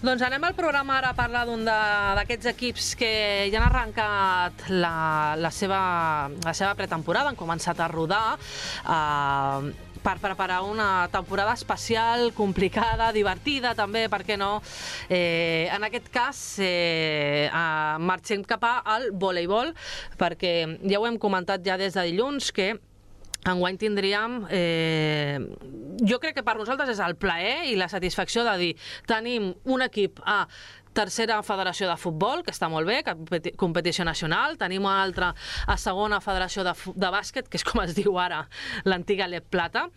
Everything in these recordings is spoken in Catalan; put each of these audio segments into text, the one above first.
Doncs anem al programa ara a parlar d'un d'aquests equips que ja han arrencat la seva pretemporada, han començat a rodar per preparar una temporada especial, complicada, divertida també, per què no? En aquest cas, marxem cap al voleibol, perquè ja ho hem comentat ja des de dilluns, que enguany tindríem, jo crec que per nosaltres és el plaer i la satisfacció de dir, tenim un equip a tercera federació de futbol, que està molt bé, competició nacional, tenim una altra a segona federació de bàsquet, que és com es diu ara l'antiga Lep Plata,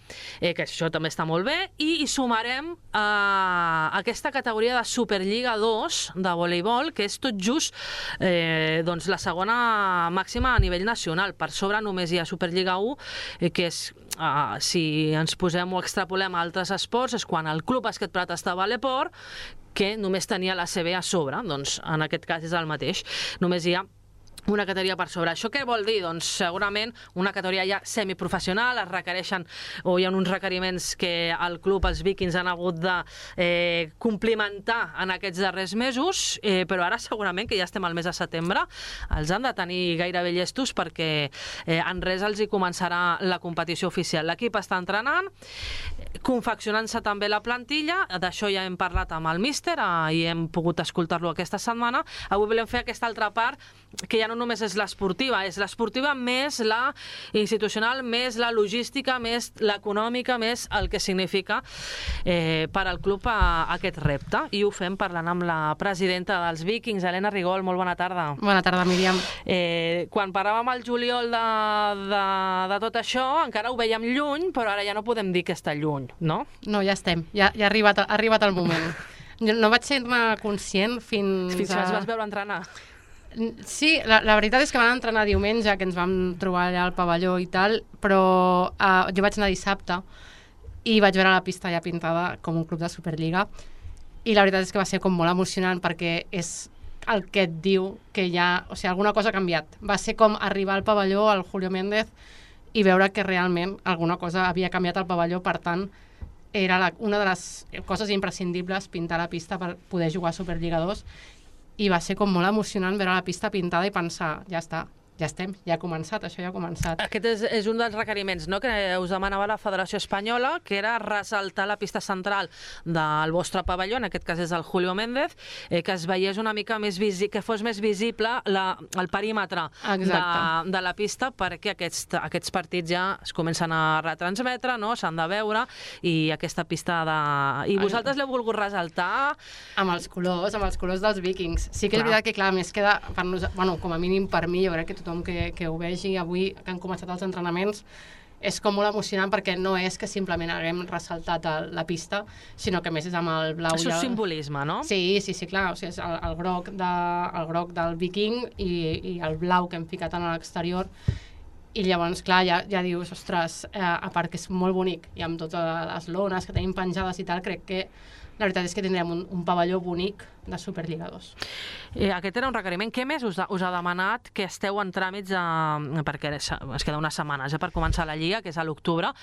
que això també està molt bé, i hi sumarem aquesta categoria de Superliga 2 de voleibol, que és tot just doncs la segona màxima a nivell nacional. Per sobre només hi ha Superliga 1, que és, si ens posem o extrapolem a altres esports, és quan el Club Bàsquet Prat estava a l'Eport, que només tenia la CB a sobre, doncs en aquest cas és el mateix, només hi ha una categoria per sobre. Això què vol dir? Doncs segurament una categoria ja semiprofessional, es requereixen, o hi ha uns requeriments que el club, els Vikings, han hagut de complimentar en aquests darrers mesos, però ara segurament que ja estem al mes de setembre, els han de tenir gairebé llestos perquè en res els hi començarà la competició oficial. L'equip està entrenant, confeccionant-se també la plantilla, d'això ja hem parlat amb el míster i hem pogut escoltar-lo aquesta setmana. Avui volem fer aquesta altra part, que ja no només és l'esportiva, és l'esportiva més la institucional, més la logística, més l'econòmica, més el que significa per al club aquest repte. I ho fem parlant amb la presidenta dels Vikings, Helena Rigol. Molt bona tarda. Bona tarda, Míriam. Quan parlàvem al juliol de tot això, encara ho veiem lluny, però ara ja no podem dir que està lluny, no? No, ja estem. Ja ha arribat el moment. No vaig ser-ne conscient fins que els vas veure entrenar. Sí, la veritat és que van entrenar diumenge, que ens vam trobar allà al pavelló i tal, però jo vaig anar dissabte i vaig veure la pista ja pintada com un club de Superliga, i la veritat és que va ser com molt emocionant, perquè és el que et diu que ja, o sigui, alguna cosa ha canviat. Va ser com arribar al pavelló, al Julio Méndez, i veure que realment alguna cosa havia canviat al pavelló. Per tant, era una de les coses imprescindibles, pintar la pista per poder jugar a Superliga 2, i va ser com molt emocionant veure la pista pintada i pensar, ja està, ja estem, ja ha començat, això ja ha començat. Aquest és un dels requeriments, no?, que us demanava la Federació Espanyola, que era ressaltar la pista central del vostre pavelló, en aquest cas és el Julio Méndez, que es veiés una mica més que fos més visible el perímetre de la pista, perquè aquests partits ja es comencen a retransmetre, no?, s'han de veure, i aquesta pista I vosaltres l'heu volgut ressaltar? Amb els colors dels Vikings. Sí que és veritat que, clar, més queda, com a mínim per mi, jo crec que tothom que ho vegi avui, que han començat els entrenaments, és com molt emocionant, perquè no és que simplement haguem ressaltat la pista, sinó que més és amb el blau. Això és simbolisme, no? Sí, clar, o sigui, és el groc del Viking i el blau que hem ficat en l'exterior, i llavors, clar, ja dius, ostres, a part que és molt bonic, i amb totes les lones que tenim penjades i tal, crec que la veritat és que tindrem un pavelló bonic de Superliga 2. Aquest era un requeriment. Què més us ha demanat que esteu en tràmits, perquè es queda unes setmanes per començar la Lliga, que és a l'octubre,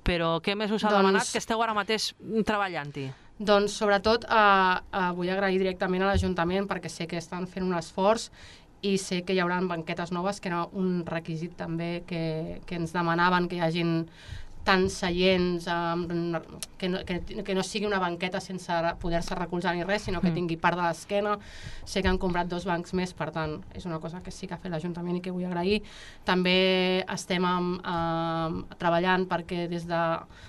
però què més us ha demanat que esteu ara mateix treballant-hi? Doncs sobretot vull agrair directament a l'Ajuntament, perquè sé que estan fent un esforç i sé que hi haurà banquetes noves, que era un requisit també que ens demanaven, que hi hagin tants seients, que no sigui una banqueta sense poder-se recolzar ni res, sinó que tingui part de l'esquena. Sé que han comprat 2 bancs més, per tant, és una cosa que sí que ha fet l'Ajuntament i que vull agrair. També estem treballant perquè des de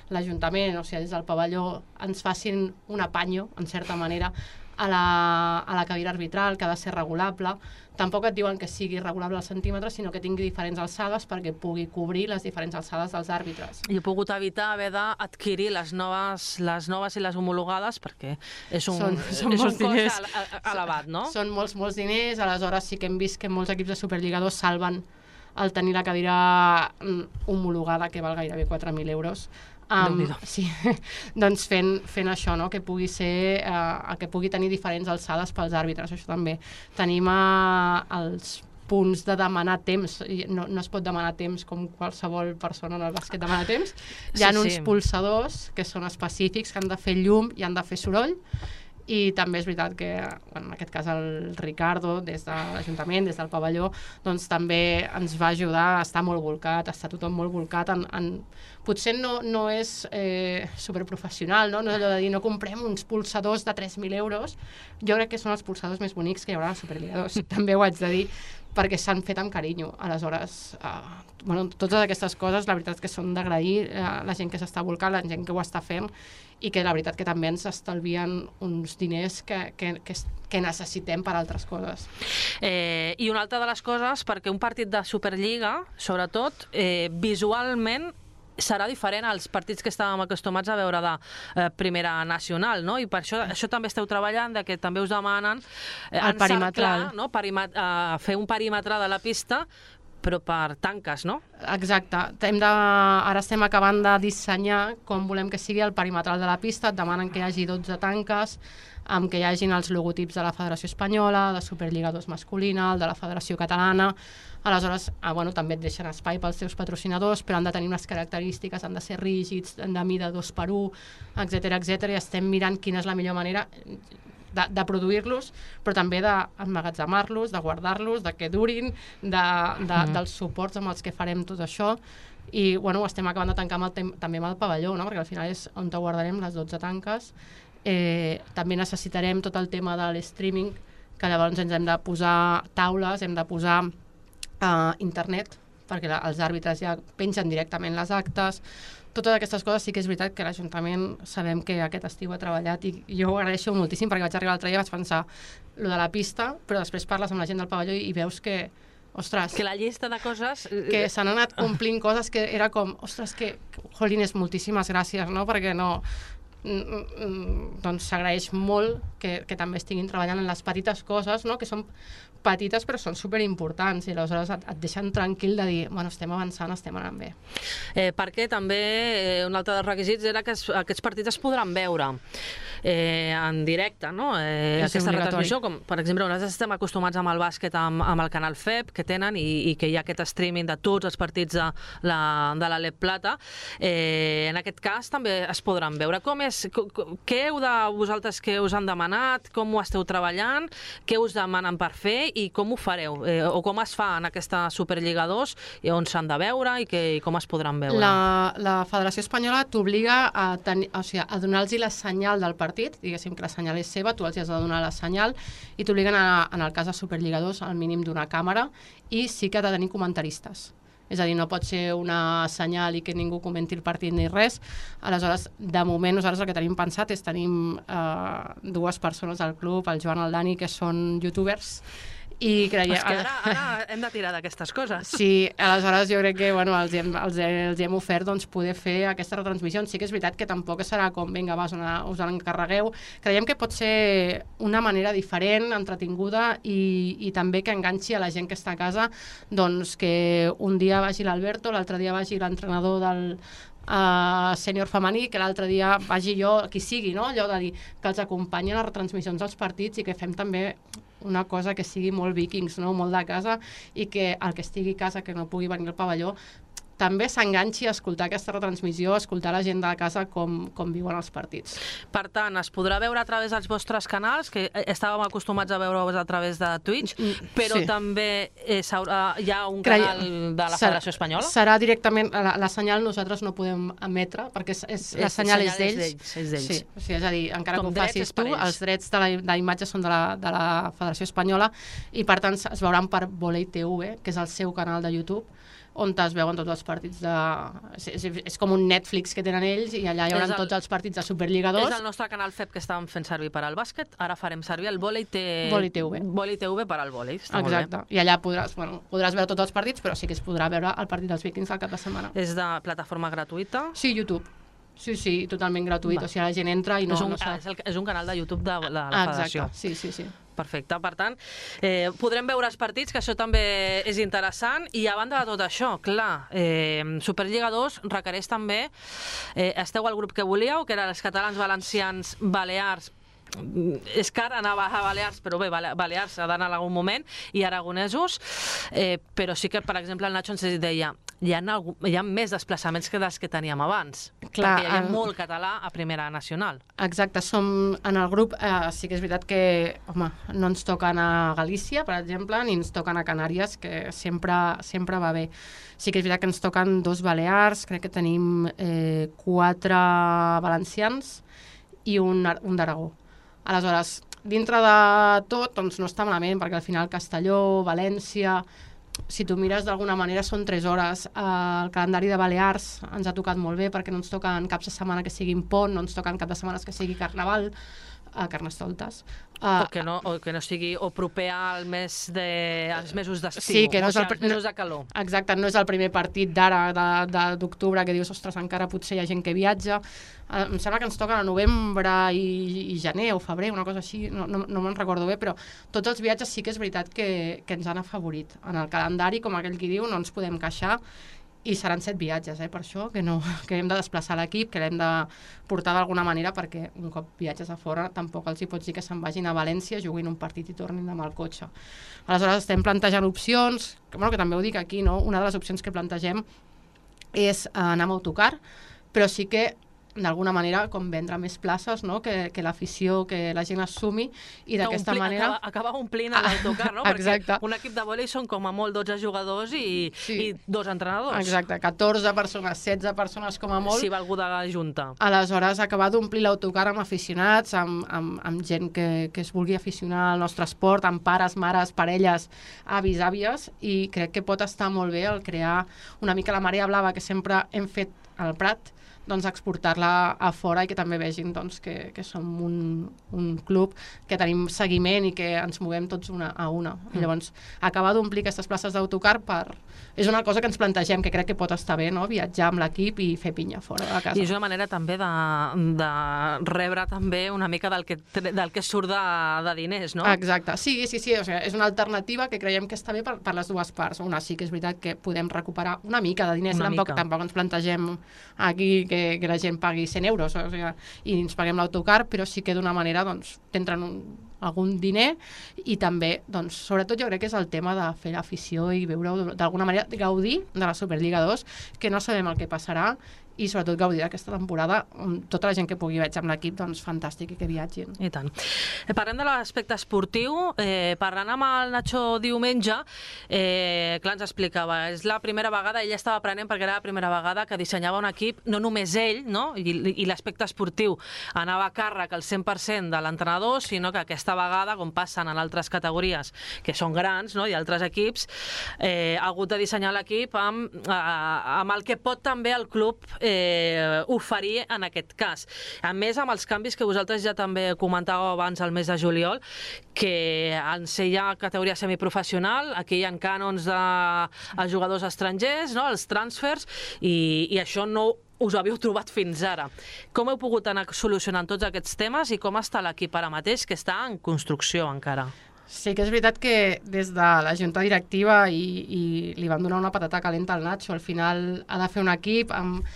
l'Ajuntament, o sigui, des del pavelló, ens facin un apanyo, en certa manera, a la cadira arbitral, que ha de ser regulable. Tampoc et diuen que sigui regulable als centímetres, sinó que tingui diferents alçades perquè pugui cobrir les diferents alçades dels àrbitres. I he pogut evitar haver d'adquirir les noves i les homologades, perquè és un cost elevat, no? Són molts diners, aleshores sí que hem vist que molts equips de Superliga 2 salven el tenir la cadira homologada, que val gairebé 4.000 euros, Sí, doncs fent això, no? Que pugui ser, que pugui tenir diferents alçades pels àrbitres, això també. Tenim els punts de demanar temps, no es pot demanar temps com qualsevol persona en el bàsquet demana temps, hi ha uns pulsadors que són específics, que han de fer llum i han de fer soroll, i també és veritat que, en aquest cas, el Ricardo, des de l'Ajuntament, des del pavelló, doncs també ens va ajudar, està molt volcat, està tothom molt volcat, potser no és superprofessional, no és allò de dir, no comprem uns pulsadors de 3.000 euros, jo crec que són els pulsadors més bonics que hi haurà a la Superliga 2, també ho haig de dir, perquè s'han fet amb carinyo. Aleshores, totes aquestes coses, la veritat és que són d'agrair la gent que s'està volcant, la gent que ho està fent, i que la veritat que també ens estalvien uns diners que necessitem per altres coses. I una altra de les coses, perquè un partit de Superliga, sobretot, visualment, serà diferent als partits que estàvem acostumats a veure de Primera Nacional, no? I per això també esteu treballant, que també us demanen el perimetral, no? Fer un perímetre de la pista, però per tanques, no? Exacte. Ara estem acabant de dissenyar com volem que sigui el perimetral de la pista. Et demanen que hi hagi 12 tanques, amb que hi hagin els logotips de la Federació Espanyola, de Superliga 2 masculina, el de la Federació Catalana. Aleshores, també et deixen espai pels teus patrocinadors, però han de tenir unes característiques, han de ser rígids, de mida 2x1, etc. I estem mirant quina és la millor manera de produir-los, però també d'emmagatzemar-los, de guardar-los, de que durin, dels suports amb els que farem tot això. I ho estem acabant de tancar també amb el pavelló, no? Perquè al final és on guardarem les 12 tanques. També necessitarem tot el tema de l'streaming, que llavors ens hem de posar taules, hem de posar internet, perquè els àrbitres ja pengen directament les actes. Totes aquestes coses sí que és veritat que l'Ajuntament sabem que aquest estiu ha treballat, i jo ho agraeixo moltíssim, perquè vaig arribar l'altre dia i vaig pensar lo de la pista, però després parles amb la gent del pavelló i veus que, ostres, que la llista de coses que s'han anat complint coses que era com, ostres, que jolines, moltíssimes gràcies, no? Perquè doncs s'agraeix molt que també estiguin treballant en les petites coses, no? Que són petites però són superimportants, i aleshores et deixen tranquil de dir, estem avançant, estem anant bé. Perquè també un altre dels requisits era que aquests partits es podran veure en directe, no? Aquesta retransmissió, com per exemple nosaltres estem acostumats amb el bàsquet amb el canal FEP que tenen, i que hi ha aquest streaming de tots els partits de l'Alep Plata. En aquest cas també es podran veure. Què heu de vosaltres, que us han demanat, com ho esteu treballant, què us demanen per fer i com ho fareu, o com es fa en aquesta Superliga 2, on s'han de veure i com es podran veure? La Federació Espanyola t'obliga a donar-los la senyal del partit, diguéssim que la senyal és seva, tu els has de donar la senyal, i t'obliguen, en el cas de Superliga 2, al mínim d'una càmera, i sí que ha de tenir comentaristes. És a dir, no pot ser una senyal i que ningú comenti el partit ni res. Aleshores, de moment, nosaltres el que tenim pensat és tenim 2 persones al club, el Joan i el Dani, que són youtubers, i creiem... És que ara hem de tirar d'aquestes coses. Sí, aleshores jo crec que els hem ofert poder fer aquestes retransmissions. Sí que és veritat que tampoc serà com, vinga, us encarregueu. Creiem que pot ser una manera diferent, entretinguda, i també que enganxi a la gent que està a casa, doncs que un dia vagi l'Alberto, l'altre dia vagi l'entrenador del sènior femení, que l'altre dia vagi jo, qui sigui, no? Allò de dir que els acompanyen a les retransmissions dels partits, i que fem també una cosa que sigui molt vikings, no? Molt de casa, i que el que estigui a casa, que no pugui venir al pavelló, també s'enganxi a escoltar aquesta retransmissió, a escoltar la gent de casa com viuen els partits. Per tant, es podrà veure a través dels vostres canals, que estàvem acostumats a veure-vos a través de Twitch, però també hi ha un canal de la Federació Espanyola? Serà directament, la senyal nosaltres no podem emetre, perquè la senyal és d'ells. Sí, és a dir, encara que ho facis tu, els drets de la imatge són de la Federació Espanyola, i per tant es veuran per Volei TV, que és el seu canal de YouTube, on es veuen tots els partits és com un Netflix que tenen ells, i allà hi haurà tots els partits de Superliga 2. És el nostre canal FEP que estàvem fent servir per al bàsquet, ara farem servir el Volei TV per al vòlei. Exacte, i allà podràs veure tots els partits, però sí que es podrà veure el partit dels Vikings al cap de setmana. És de plataforma gratuïta? Sí, YouTube. Sí, totalment gratuït, o sigui, la gent entra i no sap. És un canal de YouTube de la Federació. Exacte, sí. perfecte. Per tant, podrem veure els partits, que això també és interessant, i a banda de tot això, clar, Superliga 2 requereix també, esteu al grup que volíeu, que eren els catalans, valencians, balears, és car anar a Balears, però bé, Balears ha d'anar en algun moment, i aragonesos, però sí que, per exemple, el Nacho ens deia hi ha més desplaçaments que dels que teníem abans, perquè hi ha molt català a Primera Nacional. Exacte, som en el grup, sí que és veritat que, home, no ens toquen a Galícia, per exemple, ni ens toquen a Canàries, que sempre va bé. Sí que és veritat que ens toquen 2 balears, crec que tenim 4 valencians i un d'Aragó. Aleshores, dintre de tot, doncs no està malament, perquè al final Castelló, València, si tu mires d'alguna manera són 3 hores. El calendari de Balears ens ha tocat molt bé perquè no ens toquen caps de setmana que siguin pont, no ens toquen cap de setmanes que sigui carnaval, Carnestoltes. O que no sigui o proper als mesos d'estiu, sí, que no és als mesos de calor. Exacte, no és el primer partit d'ara, d'octubre, que dius, ostres, encara potser hi ha gent que viatja. Em sembla que ens toquen a novembre i gener o febrer, una cosa així, no me'n recordo bé, però tots els viatges sí que és veritat que ens han afavorit. En el calendari, com aquell qui diu, no ens podem queixar, i seran 7 viatges, per això, que hem de desplaçar l'equip, que l'hem de portar d'alguna manera, perquè un cop viatges a fora tampoc els hi pots dir que se'n vagin a València, juguin un partit i tornin amb el cotxe. Aleshores estem plantejant opcions, que també ho dic aquí, no? Una de les opcions que plantegem és anar amb autocar, però sí que d'alguna manera com vendre més places, no? Que l'afició, que la gent es sumi, i d'aquesta manera... Acaba omplint l'autocar, no? Perquè un equip de vòlei són com a molt 12 jugadors i 2 entrenadors. Exacte, 14 persones, 16 persones com a molt. Si va algú de junta. Aleshores, acabar d'omplir l'autocar amb aficionats, amb gent que es vulgui aficionar al nostre esport, amb pares, mares, parelles, avis, àvies, i crec que pot estar molt bé el crear una mica la marea blava que sempre hem fet al Prat, doncs exportar-la a fora i que també vegin doncs, que som un club que tenim seguiment i que ens movem tots una a una. I llavors, acabar d'omplir aquestes places d'autocar és una cosa que ens plantegem, que crec que pot estar bé, no? Viatjar amb l'equip i fer pinya fora de casa. I és una manera també de rebre també una mica del que surt de diners, no? Exacte, sí, o sigui, és una alternativa que creiem que està bé per les dues parts. Una sí que és veritat que podem recuperar una mica de diners, tampoc ens plantegem aquí que la gent pagui 100 euros, o sigui, i ens paguem l'autocar, però sí que d'una manera doncs, t'entren algun diner, i també, doncs, sobretot jo crec que és el tema de fer l'afició i veure d'alguna manera, gaudir de la Superliga 2, que no sabem el que passarà, i sobretot gaudir d'aquesta temporada, tota la gent que pugui viatjar amb l'equip, doncs fantàstic, i que viatgin. I tant. Parlem de l'aspecte esportiu, parlant amb el Nacho diumenge, clar, ens explicava, és la primera vegada, ell estava aprenent perquè era la primera vegada que dissenyava un equip, no només ell, no? I l'aspecte esportiu anava a càrrec al 100% de l'entrenador, sinó que aquesta vegada, com passen en altres categories que són grans, no? I altres equips, ha hagut de dissenyar l'equip amb el que pot també el club oferir en aquest cas. A més, amb els canvis que vosaltres ja també comentàveu abans al mes de juliol, que en ser ja categoria semiprofessional, aquí hi ha cànons de jugadors estrangers, no? Els transfers, i això no us havíeu trobat fins ara. Com heu pogut anar solucionant tots aquests temes i com està l'equip ara mateix, que està en construcció encara? Sí que és veritat que des de la junta directiva i li vam donar una patata calenta al Nacho. Al final ha de fer un equip amb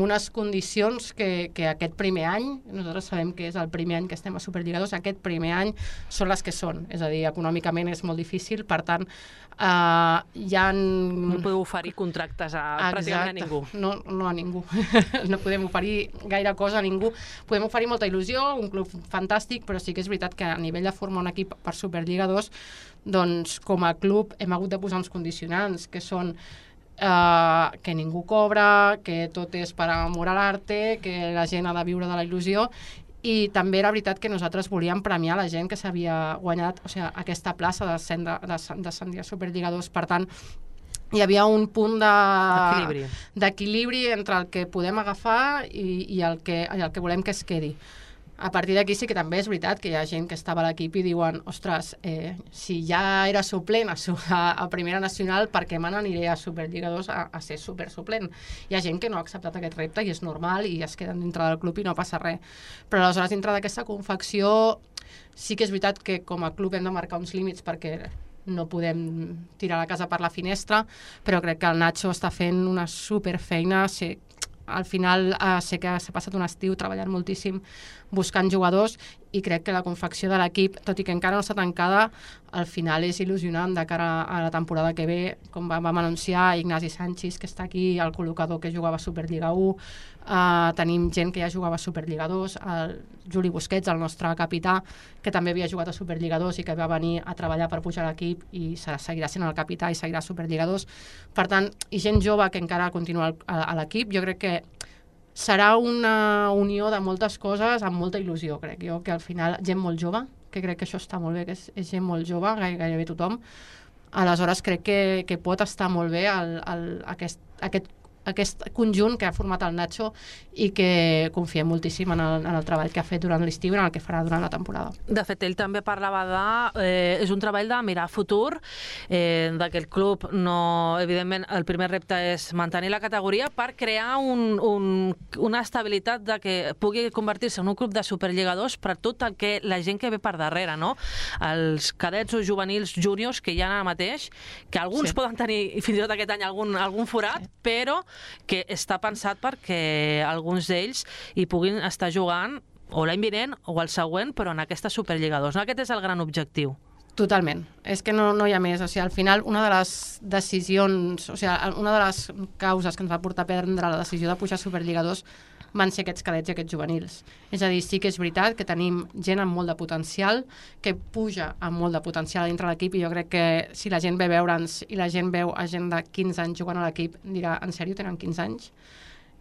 unes condicions que aquest primer any, nosaltres sabem que és el primer any que estem a Superliga 2, aquest primer any són les que són, és a dir, econòmicament és molt difícil, per tant, no podeu oferir contractes pràcticament a ningú. No a ningú. No podem oferir gaire cosa a ningú. Podem oferir molta il·lusió, un club fantàstic, però sí que és veritat que a nivell de formar un equip per Superliga 2, doncs com a club hem hagut de posar uns condicionants, que són que ningú cobra, que tot és per amor a l'arte, que la gent ha de viure de la il·lusió, i també era veritat que nosaltres volíem premiar la gent que s'havia guanyat, o sigui, aquesta plaça d'ascendir a Superliga 2, per tant, hi havia un punt d'equilibri entre el que podem agafar i el que volem que es quedi. A partir d'aquí sí que també és veritat que hi ha gent que estava a l'equip i diuen, ostres, si ja era suplent a Primera Nacional, per què me n'aniré a Superliga 2 a ser supersuplent? Hi ha gent que no ha acceptat aquest repte i és normal i es queden dintre del club i no passa res. Però aleshores dintre d'aquesta confecció sí que és veritat que com a club hem de marcar uns límits perquè no podem tirar la casa per la finestra, però crec que el Nacho està fent una superfeina. Al final sé que s'ha passat un estiu treballant moltíssim buscant jugadors i crec que la confecció de l'equip, tot i que encara no està tancada, al final és il·lusionant de cara a la temporada que ve. Com vam anunciar, Ignasi Sanchis, que està aquí, el col·locador que jugava a Superliga 1, tenim gent que ja jugava a Superliga 2, el Juli Busquets, el nostre capità, que també havia jugat a Superliga 2 i que va venir a treballar per pujar a l'equip i seguirà sent el capità i seguirà a Superliga 2. Per tant, i gent jove que encara continua a l'equip, jo crec que serà una unió de moltes coses amb molta il·lusió, crec jo, que al final gent molt jove, que crec que això està molt bé, que és gent molt jove, gairebé tothom. Aleshores crec que pot estar molt bé aquest conjunt que ha format el Nacho i que confiem moltíssim en el treball que ha fet durant l'estiu i en el que farà durant la temporada. De fet, ell també parlava és un treball de mirar futur, que el club evidentment, el primer repte és mantenir la categoria per crear una estabilitat de que pugui convertir-se en un club de Superliga 2 per tot el que la gent que ve per darrere, no? Els cadets o juvenils júniors que hi ha ara mateix, que alguns poden tenir fins i tot aquest any algun forat, però que està pensat perquè alguns d'ells hi puguin estar jugant o l'any vinent o el següent, però en aquesta Superliga 2. No? Aquest és el gran objectiu. Totalment. És que no hi ha més. O sigui, al final, una de les decisions, o sigui, una de les causes que ens va portar a prendre la decisió de pujar a Superliga 2 van ser aquests cadets i aquests juvenils. És a dir, sí que és veritat que tenim gent amb molt de potencial, que puja amb molt de potencial dintre l'equip, i jo crec que si la gent ve a veure'ns i la gent veu a gent de 15 anys jugant a l'equip, dirà, en sèrio, tenen 15 anys?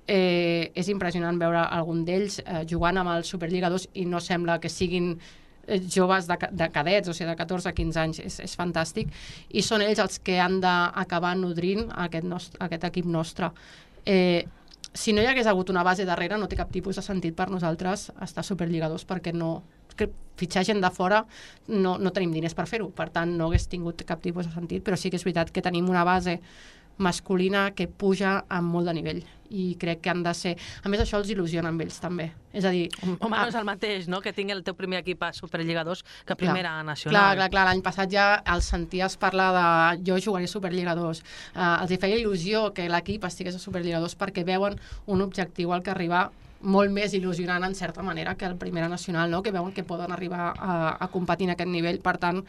És impressionant veure algun d'ells jugant amb el Superliga 2 i no sembla que siguin joves de cadets, o sigui, de 14 a 15 anys. És fantàstic. I són ells els que han d'acabar nodrint aquest equip nostre. Si no hi hagués hagut una base darrere, no té cap tipus de sentit per nosaltres estar a Superliga 2, perquè fitxar gent de fora no tenim diners per fer-ho, per tant no hagués tingut cap tipus de sentit, però sí que és veritat que tenim una base masculina que puja amb molt de nivell i crec que han de ser... A més, això els il·lusiona amb ells també. És a dir... Home, no és el mateix, no?, que tingui el teu primer equip a Superliga 2 que Primera Nacional. Clar. L'any passat ja els senties parlar de jo jugaré a Superliga 2. Els hi feia il·lusió que l'equip estigués a Superliga 2 perquè veuen un objectiu al que arribar molt més il·lusionant, en certa manera, que el Primera Nacional, no?, que veuen que poden arribar a competir en aquest nivell. Per tant,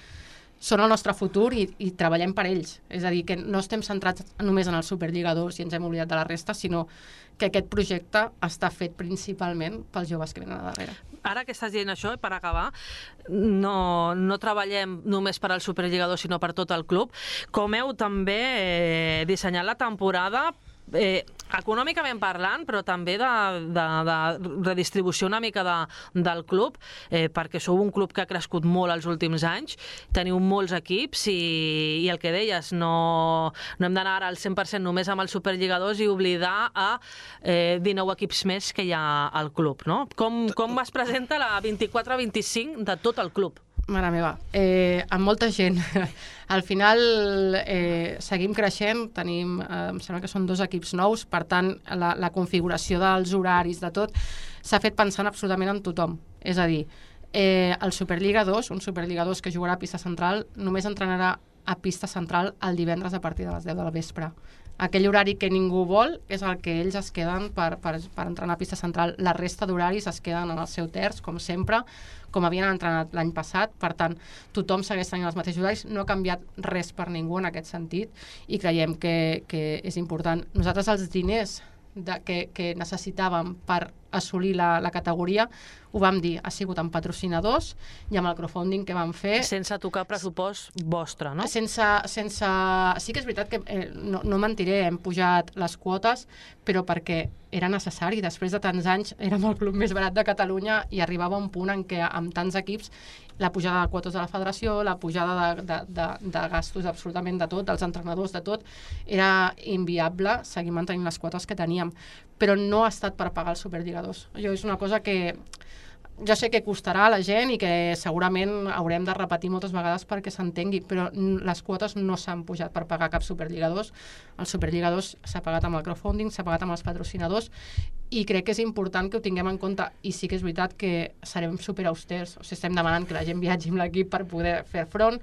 són el nostre futur i treballem per ells. És a dir, que no estem centrats només en el Superliga 2 i ens hem oblidat de la resta, sinó que aquest projecte està fet principalment pels joves que venen a darrere. Ara que estàs dient això, per acabar, no treballem només per al Superliga 2, sinó per tot el club. Com heu també dissenyat la temporada, econòmicament parlant, però també de redistribució una mica del club, perquè sou un club que ha crescut molt els últims anys, teniu molts equips i el que deies, no hem d'anar ara al 100% només amb el Superliga 2 i oblidar a 19 equips més que hi ha al club, no? Com es presenta la 24-25 de tot el club? Mare meva, amb molta gent. Al final seguim creixent, tenim, em sembla que són 2 equips nous, per tant, la configuració dels horaris, de tot, s'ha fet pensant absolutament en tothom. És a dir, el Superliga 2, un Superliga 2 que jugarà a pista central, només entrenarà a pista central el divendres a partir de les 10 de la vespre. Aquell horari que ningú vol és el que ells es queden per entrenar a pista central. La resta d'horaris es queden en el seu terç, com sempre, com havien entrenat l'any passat. Per tant, tothom segueix tenint els mateixos horaris. No ha canviat res per ningú en aquest sentit i creiem que és important. Nosaltres els diners que necessitàvem per assolir la categoria, ho vam dir, ha sigut amb patrocinadors i amb el crowdfunding que vam fer. Sense tocar pressupost vostre, no? Sense... Sí que és veritat que, no mentiré, hem pujat les quotes, però perquè era necessari. Després de tants anys érem el club més barat de Catalunya i arribava un punt en què amb tants equips la pujada de quotes de la federació, la pujada de gastos absolutament de tot, dels entrenadors, de tot, era inviable seguir mantenint les quotes que teníem. Però no ha estat per pagar el Superliga 2. Això és una cosa que jo sé que costarà a la gent i que segurament haurem de repetir moltes vegades perquè s'entengui, però les quotes no s'han pujat per pagar cap Superliga 2. El Superliga 2 s'ha pagat amb el crowdfunding, s'ha pagat amb els patrocinadors, i crec que és important que ho tinguem en compte, i sí que és veritat que serem superausters, o sigui, estem demanant que la gent viatgi amb l'equip per poder fer front,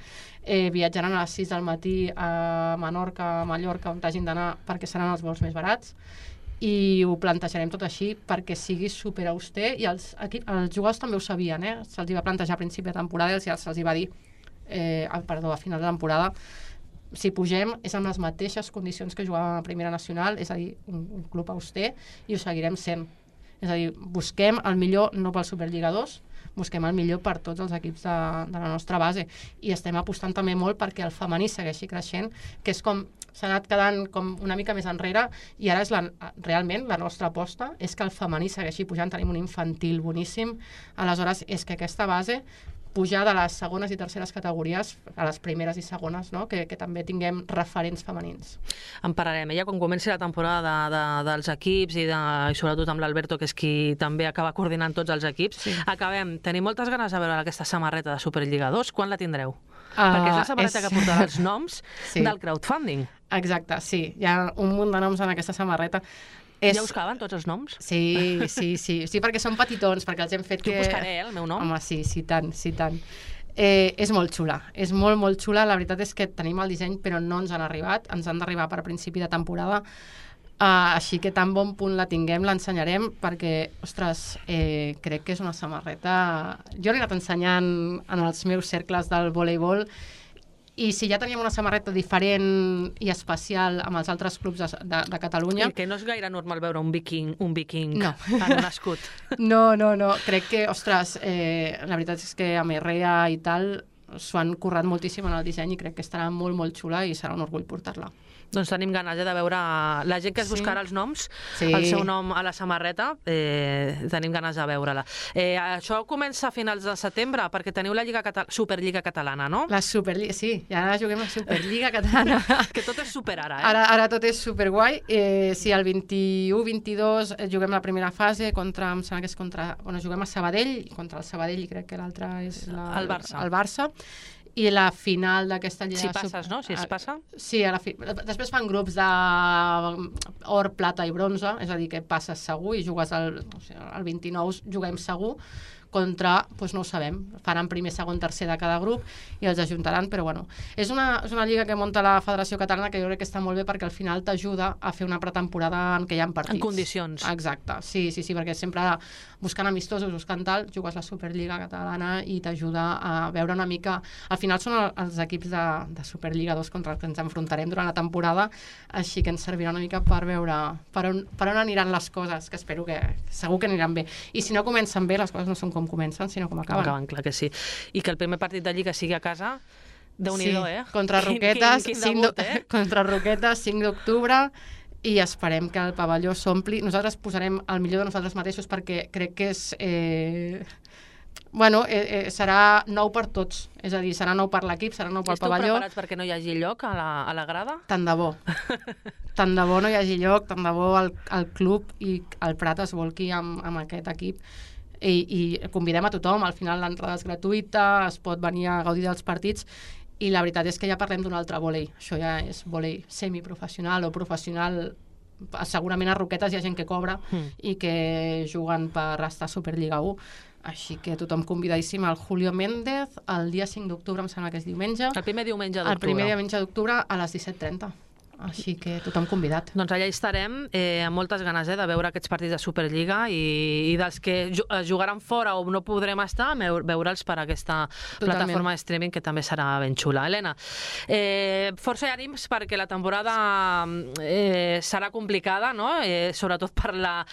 viatjaran a les 6 del matí a Menorca, a Mallorca, on hagin d'anar, perquè seran els vols més barats, i ho plantejarem tot així perquè sigui superauster, i els jugadors també ho sabien, se'ls va plantejar a principi de temporada i se'ls va dir a final de temporada, si pugem és amb les mateixes condicions que jugàvem a Primera Nacional, és a dir, un club auster, i ho seguirem sent. És a dir, busquem el millor no pel Superliga 2, busquem el millor per tots els equips de la nostra base, i estem apostant també molt perquè el femení segueixi creixent, que és com s'ha anat quedant com una mica més enrere, i ara és realment la nostra aposta és que el femení segueixi pujant. Tenim un infantil boníssim, aleshores és que aquesta base pujar de les segones i terceres categories a les primeres i segones, no? que també tinguem referents femenins. En parlarem. Ja quan comenci la temporada dels equips i sobretot amb l'Alberto, que és qui també acaba coordinant tots els equips, sí. Acabem. Tenim moltes ganes de veure aquesta samarreta de Superliga 2. Quan la tindreu? Perquè és la samarreta que portarà els noms del crowdfunding. Exacte, sí. Hi ha un munt de noms en aquesta samarreta. Ja us caben tots els noms? Sí, perquè són petitons, perquè els hem fet que... Jo buscaré, el meu nom. Home, sí, tant. És molt xula, és molt, molt xula. La veritat és que tenim el disseny, però no ens han arribat. Ens han d'arribar per principi de temporada. Així que tan bon punt la tinguem, l'ensenyarem, perquè, ostres, crec que és una samarreta... Jo l'he anat ensenyant en els meus cercles del voleibol, i si ja teníem una samarreta diferent i especial amb els altres clubs de Catalunya... I que no és gaire normal veure un viking no. en un escut. No. Crec que, ostres, la veritat és que a Merrea i tal s'ho han currat moltíssim en el disseny, i crec que estarà molt, molt xula i serà un orgull portar-la. Doncs tenim ganes de veure la gent que es buscarà els noms, el seu nom a la samarreta, tenim ganes de veure-la. Això comença a finals de setembre, perquè teniu la Superliga Catalana, no? La Superliga, sí, ja juguem la Superliga Catalana. Que tot és super ara, Ara tot és superguai. Sí, el 21-22 juguem la primera fase contra, em sembla que és contra... Bueno, juguem a Sabadell, contra el Sabadell, i crec que l'altre és el Barça. El Barça. I la final d'aquesta lliga... Si passes, no? Si es passa? Sí, després fan grups d'or, plata i bronze, és a dir, que passes segur i jugues el 29, juguem segur, contra, doncs no ho sabem, faran primer, segon, tercer de cada grup i els ajuntaran, però bueno, és una lliga que munta la Federació Catalana, que jo crec que està molt bé perquè al final t'ajuda a fer una pretemporada en què hi ha partits. En condicions. Exacte, sí, perquè sempre buscant amistosos, buscant tal, jugues la Superliga Catalana i t'ajuda a veure una mica... Al final són els equips de Superliga 2 contra els que ens enfrontarem durant la temporada, així que ens servirà una mica per veure per on aniran les coses, que espero que segur que aniran bé. I si no comencen bé, les coses no són com comencen, sinó com acaben. Clar que sí. I que el primer partit de Lliga sigui a casa, Déu-n'hi-do, contra Roquetes, contra Roquetes, 5 d'octubre, i esperem que el pavelló s'ompli. Nosaltres posarem el millor de nosaltres mateixos, perquè crec que és... serà nou per tots, és a dir, serà nou per l'equip, serà nou pel pavelló. Esteu preparats perquè no hi hagi lloc a la grada? Tant de bo. Tant de bo no hi hagi lloc, tant de bo el club i el Prat es volqui amb aquest equip. I convidem a tothom, al final l'entrada és gratuïta, es pot venir a gaudir dels partits, i la veritat és que ja parlem d'un altre vòlei. Això ja és vòlei semiprofessional o professional. Segurament a Roquetes hi ha gent que cobra i que juguen per estar a Superliga 1, així que tothom convidadíssim al Julio Méndez el dia 5 d'octubre, em sembla que és diumenge. El primer diumenge d'octubre. El primer diumenge d'octubre a les 17:30. Així que tothom convidat. Doncs allà hi estarem, amb moltes ganes de veure aquests partits de Superliga i dels que jugaran fora o no podrem estar, veure'ls per aquesta plataforma de streaming, que també serà ben xula. Helena, força i ànims perquè la temporada serà complicada, no? Sobretot per la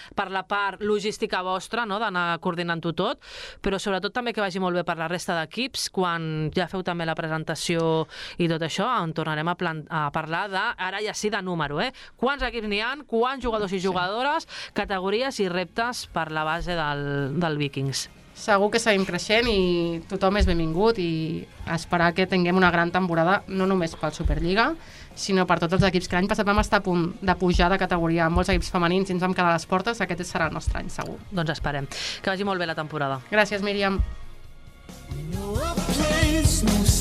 part logística vostra, no? D'anar coordinant-ho tot, però sobretot també que vagi molt bé per la resta d'equips. Quan ja feu també la presentació i tot això, en tornarem a parlar de... Ara ja sí de número, quants equips n'hi ha, quants jugadors i jugadores, categories i reptes per la base del Vikings. segur que seguim creixent i tothom és benvingut i esperar que tinguem una gran temporada, no només pel Superliga, sinó per tots els equips, que l'any passat vam estar a punt de pujar de categoria amb molts equips femenins i ens vam quedar a les portes, aquest serà el nostre any, segur. Doncs esperem. Que vagi molt bé la temporada. Gràcies, Míriam. No place, no